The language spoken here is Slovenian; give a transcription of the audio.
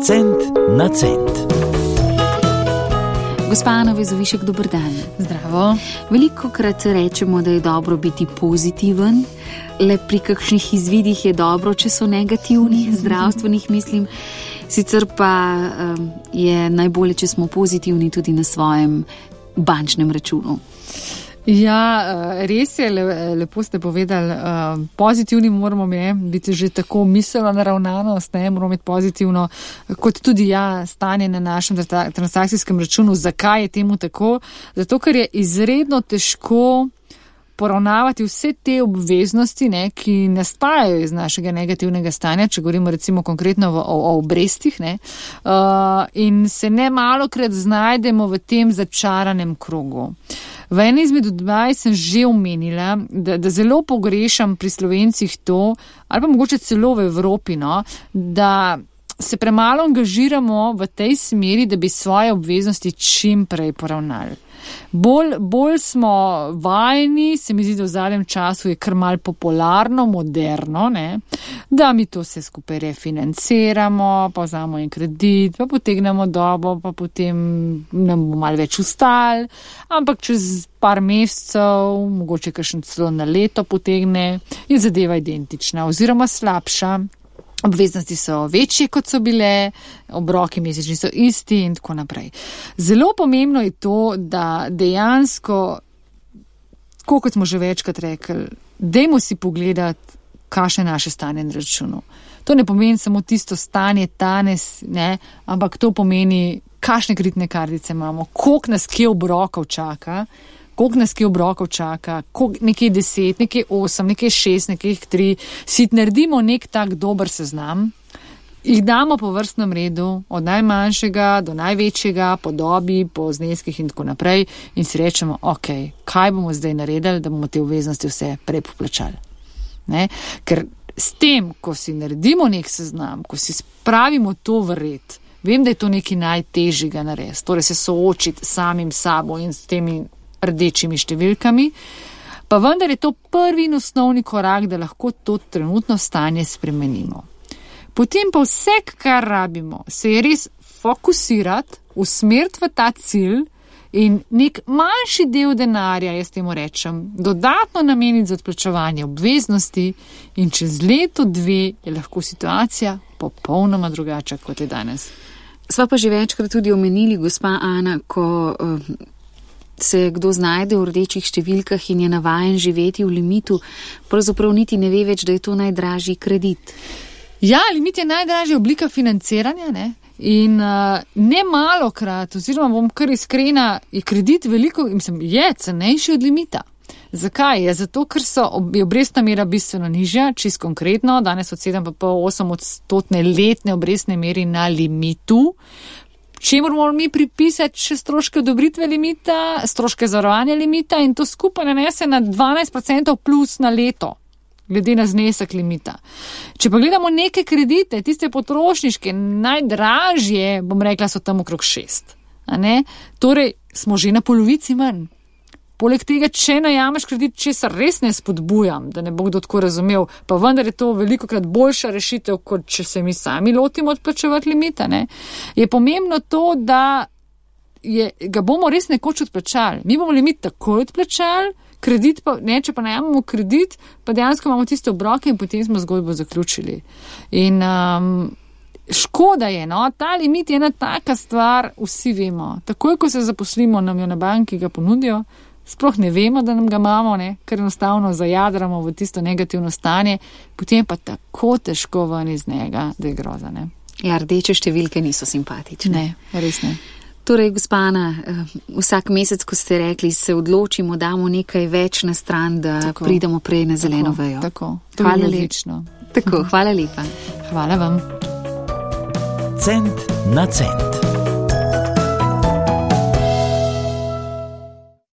Cent na cent. Gospa Ana Vezovišek, dober dan. Zdravo. Velikokrat rečemo, da je dobro biti pozitiven, le pri kakšnih izvidih je dobro, če so negativni, zdravstvenih mislim. Sicer pa je najbolje, če smo pozitivni tudi na svojem bančnem računu. Ja, res je, lepo ste povedali, pozitivni moramo biti že tako miselna naravnanost, moramo imeti pozitivno, kot tudi stanje na našem transakcijskem računu. Zakaj je temu tako? Zato, ker je izredno težko poravnavati vse te obveznosti, ki nastajajo iz našega negativnega stanja, če govorimo recimo konkretno o obrestih, in se ne malokrat znajdemo v tem začaranem krogu. V eni izmed odvaj sem že omenila, da zelo pogrešam pri Slovencih to, ali pa mogoče celo v Evropi, da se premalo angažiramo v tej smeri, da bi svoje obveznosti čim prej poravnali. Bolj smo vajeni, se mi zdi, da v zadnjem času je kar malo popularno, moderno, da mi to vse skupaj refinanciramo, pa vzamemo en kredit, pa potegnemo dobo, pa potem nam bo malo več ustal, ampak čez par mesecev, mogoče kakšen celo na leto potegne, je zadeva identična oziroma slabša. Obveznosti so večje, kot so bile, obroki mesečni so isti in tako naprej. Zelo pomembno je to, da dejansko, kot smo že večkrat rekli, dajmo si pogledati, kakšno je naše stanje na računu. To ne pomeni samo tisto stanje danes, ampak to pomeni, kakšne kreditne kartice imamo, koliko nas kje obrokov čaka, nekaj 10, nekaj 8, nekaj 6, nekaj 3, si naredimo nek tak dober seznam, jih damo po vrstnem redu, od najmanjšega do največjega, po dobi, po zneskih in tako naprej in si rečemo, kaj bomo zdaj naredili, da bomo te obveznosti vse prej poplačali. Ker s tem, ko si naredimo nek seznam, ko si spravimo to v red, vem, da je to nekaj najtežjega narediti, torej se soočiti samim sabo in s temi rdečimi številkami, pa vendar je to prvi in osnovni korak, da lahko to trenutno stanje spremenimo. Potem pa vse, kar rabimo, se je res fokusirati, usmeriti v ta cilj in nek manjši del denarja, jaz temu rečem, dodatno nameniti za odplačevanje obveznosti in čez leto, 2 je lahko situacija popolnoma drugačna, kot je danes. Sva pa že večkrat tudi omenili, gospa Ana, ko se kdo znajde v rdečih številkah in je navajen živeti v limitu, pravzaprav niti ne ve več, da je to najdražji kredit. Ja, limit je najdražja oblika financiranja, in ne malokrat, oziroma bom kar iskrena, je kredit je cenejši od limita. Zakaj? Zato, ker je obrestna mera bistveno nižja, čisto konkretno, danes od 7,8% letne obrestne meri na limitu, čemu moramo mi pripisati še stroške odobritve limita, stroške zavarovanja limita in to skupaj nanese na 12% plus na leto, glede na znesek limita. Če pa gledamo neke kredite, tiste potrošniške, najdražje, bom rekla, so tam okrog 6. Torej, smo že na polovici manj. Poleg tega, če najameš kredit, česar res ne spodbujam, da ne bo kdo tako razumel, pa vendar je to velikokrat boljša rešitev, kot če se mi sami lotimo odplačevati limita, je pomembno to, da ga bomo res nekoč odplačali. Mi bomo limit takoj odplačali, kredit pa, če pa najamemo kredit, pa dejansko imamo tiste obroke in potem smo zgodbo zaključili. In škoda je, ta limit je ena taka stvar, vsi vemo. Takoj, ko se zaposlimo, nam jo na banki ga ponudijo, sploh ne vemo, da nam ga imamo, ker enostavno zajadramo v tisto negativno stanje, potem pa tako težko ven iz njega, da je groza. Ja, rdeče številke niso simpatične. Ne, res ne. Torej, gospa Ana, vsak mesec, ko ste rekli, se odločimo, damo nekaj več na stran, da pridemo prej na zeleno vejo. Tako, hvala lepa. Tako, hvala lepa. Hvala vam. Cent na cent.